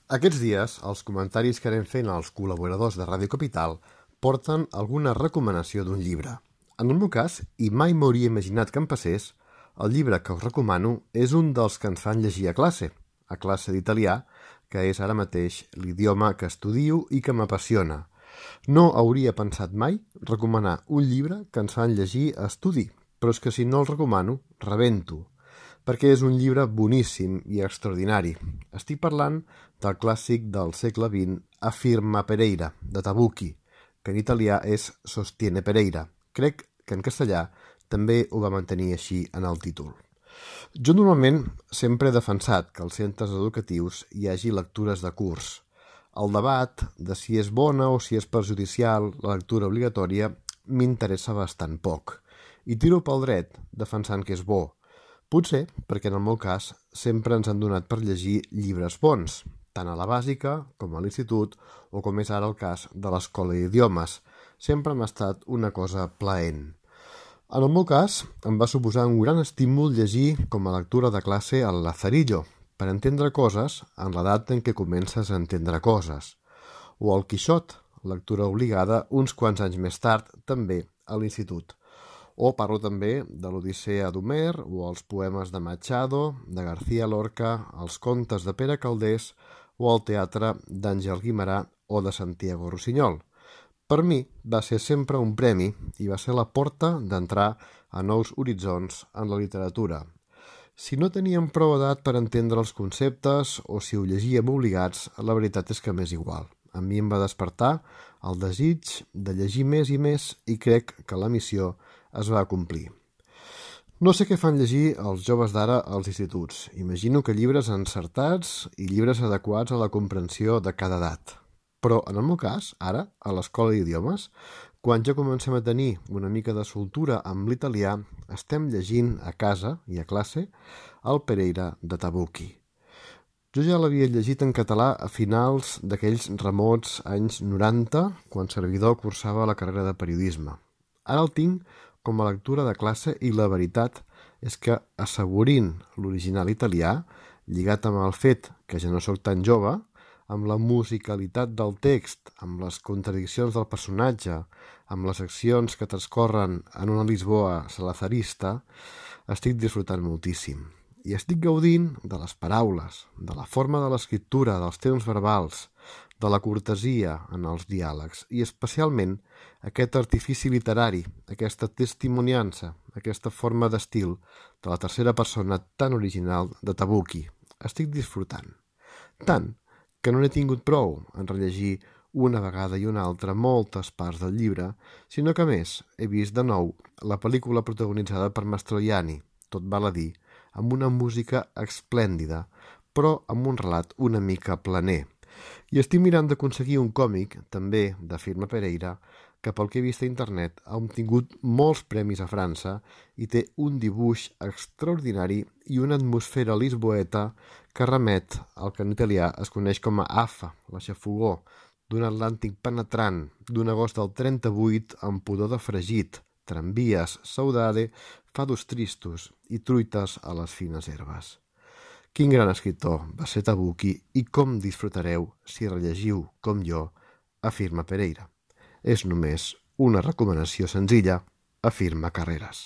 Aquests dies, els comentaris que anem fent als col·laboradors de Ràdio Capital porten alguna recomanació d'un llibre. En el meu cas, i mai m'hauria imaginat que em passés, el llibre que us recomano és un dels que ens fan llegir a classe d'italià, que és ara mateix l'idioma que estudio i que m'apassiona. No hauria pensat mai recomanar un llibre que ens fan llegir a estudi, però és que si no el recomano, rebento, perquè és un llibre boníssim i extraordinari. Estic parlant del clàssic del segle XX, A firma Pereira, de Tabucchi, que en italià és Sostiene Pereira. Crec que en castellà també ho va mantenir així en el títol. Jo normalment sempre he defensat que als centres educatius hi hagi lectures de curs. El debat de si és bona o si és perjudicial la lectura obligatòria m'interessa bastant poc, i tiro pel dret defensant que és bo. Potser perquè en el meu cas sempre ens han donat per llegir llibres bons, tant a la bàsica com a l'institut o com és ara el cas de l'escola d'idiomes. Sempre m'ha estat una cosa plaent. En el meu cas em va suposar un gran estímul llegir com a lectura de classe el Lazarillo, per entendre coses en l'edat en què comences a entendre coses, o el Quixot, lectura obligada uns quants anys més tard, també a l'institut. O parlo també de l'Odissea d'Homer o els poemes de Machado, de García Lorca, els contes de Pere Calders o el teatre d'Àngel Guimerà o de Santiago Rossinyol. Per mi va ser sempre un premi i va ser la porta d'entrar a nous horitzons en la literatura. Si no teníem prou edat per entendre els conceptes o si ho llegíem obligats, la veritat és que m'és igual. A mi em va despertar el desig de llegir més i més i crec que la missió es va complir. No sé què fan llegir els joves d'ara als instituts. Imagino que llibres encertats i llibres adequats a la comprensió de cada edat. Però en el meu cas, ara, a l'escola d'idiomes, quan ja comencem a tenir una mica de soltura amb l'italià, estem llegint a casa i a classe el Pereira de Tabucchi. Jo ja l'havia llegit en català a finals d'aquells remots anys 90, quan servidor cursava la carrera de periodisme. Ara el tinc com a lectura de classe i la veritat és que, assaborint l'original italià, lligat amb el fet que ja no sóc tan jove, amb la musicalitat del text, amb les contradiccions del personatge, amb les accions que transcorren en una Lisboa salazarista, estic disfrutant moltíssim. I estic gaudint de les paraules, de la forma de l'escriptura, dels temps verbals, de la cortesia en els diàlegs i especialment aquest artifici literari, aquesta testimoniança, aquesta forma d'estil de la tercera persona tan original de Tabucchi. Estic disfrutant. Tant que no n'he tingut prou en rellegir una vegada i una altra moltes parts del llibre, sinó que a més he vist de nou la pel·lícula protagonitzada per Mastroianni, tot val a dir, amb una música esplèndida, però amb un relat una mica planer. I estic mirant d'aconseguir un còmic, també de firma Pereira, que pel que he vist a internet ha obtingut molts premis a França i té un dibuix extraordinari i una atmosfera lisboeta que remet al que en italià es coneix com a afa, la xafogor, d'un Atlàntic penetrant, d'un agost del 38 amb pudor de fregit, tramvies, saudade, fados tristos i truites a les fines herbes. Quin gran escriptor va ser Tabucchi i com disfrutareu si rellegiu, com jo, A firma Pereira. És només una recomanació senzilla, a firma Carreras.